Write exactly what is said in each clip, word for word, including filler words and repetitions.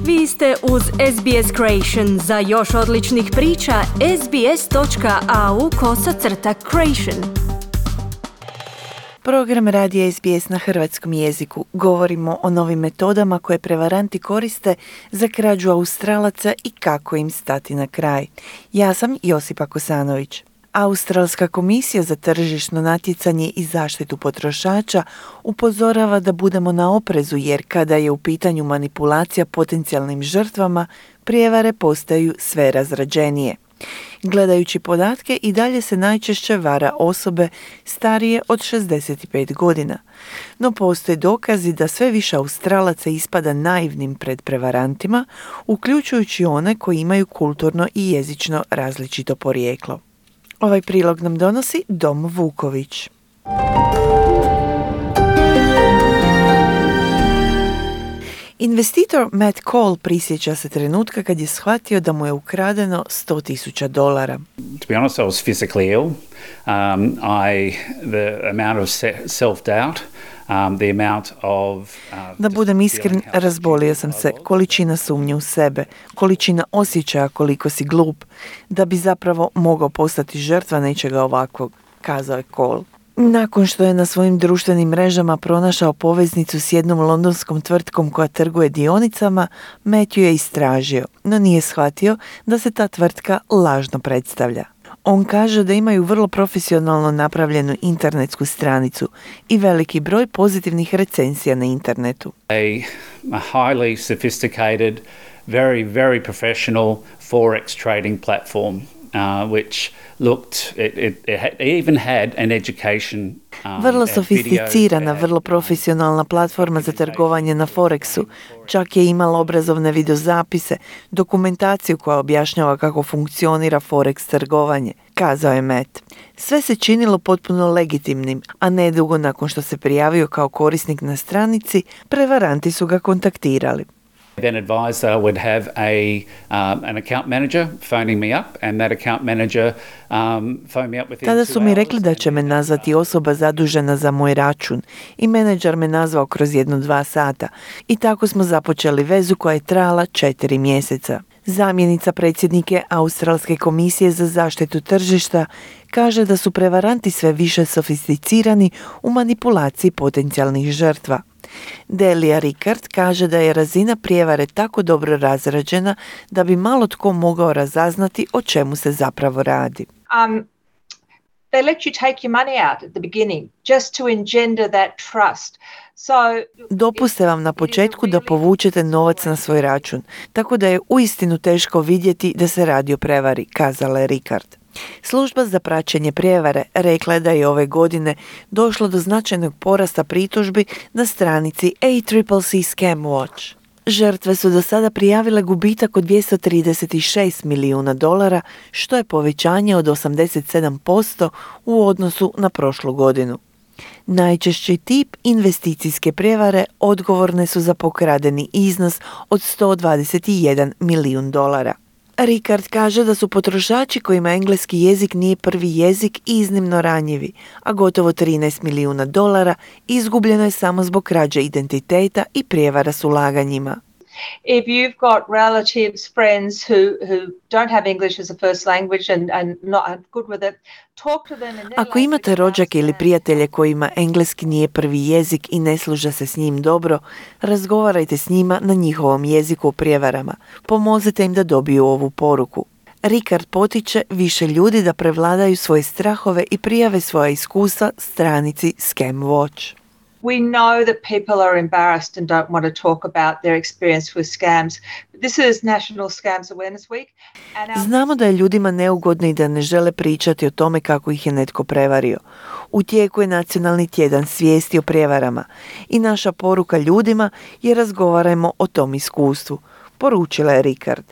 Vi ste uz S B S Creation. Za još odličnih priča, sbs.au kosacrta creation. Program radija S B S na hrvatskom jeziku. Govorimo o novim metodama koje prevaranti koriste za krađu Australaca i kako im stati na kraj. Ja sam Josipa Kosanović. Australska komisija za tržišno natjecanje i zaštitu potrošača upozorava da budemo na oprezu jer kada je u pitanju manipulacija potencijalnim žrtvama, prijevare postaju sve razrađenije. Gledajući podatke, i dalje se najčešće vara osobe starije od šezdeset pet godina. No postoje dokazi da sve više Australaca ispada naivnim pred prevarantima, uključujući one koji imaju kulturno i jezično različito porijeklo. Ovaj prilog nam donosi Dom Vuković. Investitor Matt Cole prisjeća se trenutka kad je shvatio da mu je ukradeno sto tisuća dolara. To be honest, I was physically ill. Um, I, the amount of self-doubt, um, the amount of... Uh, da budem iskren, razbolio sam se. Količina sumnje u sebe, količina osjećaja koliko si glup, da bi zapravo mogao postati žrtva nečega ovakvog, kazao je Cole. Nakon što je na svojim društvenim mrežama pronašao poveznicu s jednom londonskom tvrtkom koja trguje dionicama, Matthew je istražio, no nije shvatio da se ta tvrtka lažno predstavlja. On kaže da imaju vrlo profesionalno napravljenu internetsku stranicu i veliki broj pozitivnih recenzija na internetu. A, a highly sophisticated, very, very professional forex trading platform. Uh, which looked, it, it, it, had, it even had an education. Um, vrlo sofisticirana, vrlo profesionalna platforma za trgovanje na Forexu. Čak je imala obrazovne videozapise, dokumentaciju koja objašnjava kako funkcionira Forex trgovanje, kazao je Matt. Sve se činilo potpuno legitimnim, a nedugo nakon što se prijavio kao korisnik na stranici, prevaranti su ga kontaktirali. Then advised that I would have a um, an account manager phoning me up, and that account manager um, phoned me up within two hours. Tada su mi rekli da će me nazvati osoba zadužena za moj račun i menadžer me nazvao kroz jedno dva sata. I tako smo započeli vezu koja je trajala četiri mjeseca. Zamjenica predsjednike Australske komisije za zaštitu tržišta kaže da su prevaranti sve više sofisticirani u manipulaciji potencijalnih žrtva. Delia Rickard kaže da je razina prijevare tako dobro razrađena da bi malo tko mogao razaznati o čemu se zapravo radi. Um, they let you take your money out at the beginning just to engender that trust. So, Dopuste vam na početku da povučete novac na svoj račun, tako da je uistinu teško vidjeti da se radi o prevari, kazala je Rickard. Služba za praćenje prijevare rekla je da je ove godine došlo do značajnog porasta pritužbi na stranici A C C C Scam Watch. Žrtve su do sada prijavile gubitak od dvjesto trideset šest milijuna dolara, što je povećanje od osamdeset sedam posto u odnosu na prošlu godinu. Najčešći tip investicijske prijevare odgovorne su za pokradeni iznos od sto dvadeset jedan milijun dolara. Rickard kaže da su potrošači kojima engleski jezik nije prvi jezik iznimno ranjivi, a gotovo trinaest milijuna dolara izgubljeno je samo zbog krađe identiteta i prijevara s ulaganjima. If you've got relatives, friends who, who don't have English as a first language and, and not good with it, talk to them in their Ako imate rođake ili prijatelje kojima engleski nije prvi jezik i ne služa se s njim dobro, razgovarajte s njima na njihovom jeziku o prijevarama. Pomozite im da dobiju ovu poruku. Rickard potiče više ljudi da prevladaju svoje strahove i prijave svoja iskustva stranici Scam Watch. We know that people are embarrassed and don't want to talk about their experience with scams. This is National Scams Awareness Week. And our... Znamo da je ljudima neugodno i da ne žele pričati o tome kako ih je netko prevario. U tijeku je nacionalni tjedan svijesti o prijevarama i naša poruka ljudima je razgovarajmo o tom iskustvu, poručila je Rickard.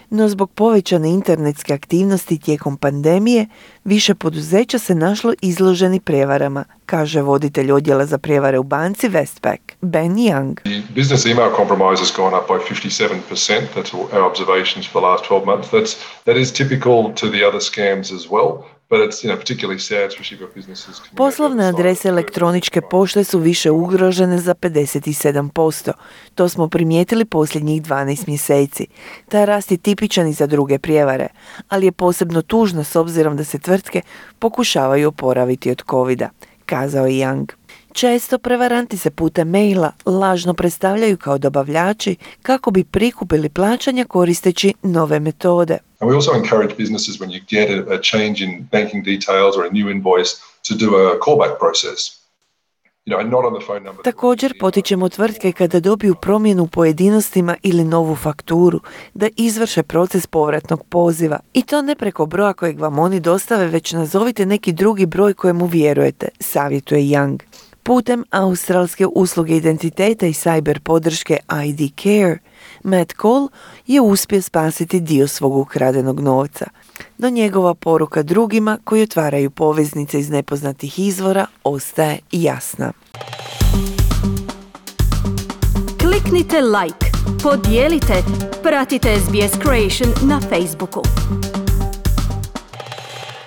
No zbog povećane internetske aktivnosti tijekom pandemije, više poduzeća se našlo izloženi prijevarama, kaže voditelj odjela za prijevare u banci Westpac, Ben Young. The business email compromise has gone up by fifty-seven percent. That's our observations for the last twelve months. That's, that is typical to the other scams as well. But it's, you know, particularly sad, especially for businesses. Poslovne adrese elektroničke pošte su više ugrožene za pedeset sedam posto. To smo primijetili posljednjih dvanaest mjeseci. Taj rast je tipičan i za druge prijevare, ali je posebno tužno s obzirom da se tvrtke pokušavaju oporaviti od covida, kazao je Young. Često prevaranti se putem maila lažno predstavljaju kao dobavljači kako bi prikupili plaćanja koristeći nove metode. And we also encourage businesses when you get a, a change in banking details or a new invoice to do a callback process. You know, and not on the phone number. Također potičemo tvrtke kada dobiju promjenu u pojedinostima ili novu fakturu da izvrše proces povratnog poziva. I to ne preko broja kojeg vam oni dostave, već nazovite neki drugi broj kojemu vjerujete, savjetuje Young. Putem australske usluge identiteta i cyber podrške I D Care, Matt Cole je uspio spasiti dio svog ukradenog novca. No njegova poruka drugima koji otvaraju poveznice iz nepoznatih izvora ostaje jasna. Kliknite like, podijelite, pratite S B S Creation na Facebooku.